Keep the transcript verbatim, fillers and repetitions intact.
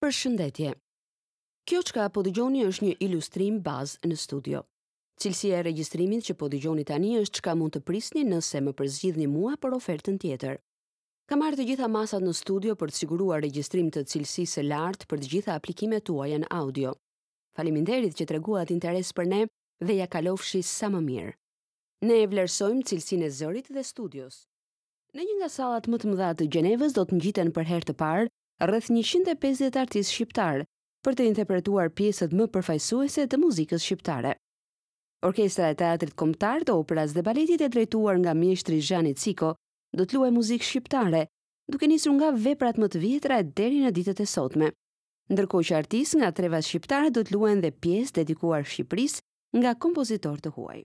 Përshëndetje. Kjo çka po dëgjoni është një ilustrim bazë në studio. Cilësia e regjistrimit që po dëgjoni tani është çka mund të prisni nëse më përzgjidhni mua për ofertën tjetër. Kam marrë të gjitha masat në studio për të siguruar regjistrim të cilësisë së lartë për të gjitha aplikimet tuaja në audio. Faleminderit që treguat interes për ne dhe ja kalofshi sa më mirë. Ne e vlerësojmë cilësinë e zërit dhe studios. Në një nga sallat më të mëdha të Gjenevës do të ngjiten për herë të parë rreth njëqind e pesëdhjetë artistë shqiptar për të interpretuar pjesët më përfaqësuese të muzikës shqiptare. Orkestra e Teatrit Kombëtar të Operas dhe Baletit e drejtuar nga mjeshtri Zhani Ciko do të luajë muzikë shqiptare, duke nisur nga veprat më të vjetra e deri në ditët e sotme. Ndërkohë që artistë nga trevat shqiptare do të luajnë dhe pjesë dedikuar Shqipërisë nga kompozitorë të huaj.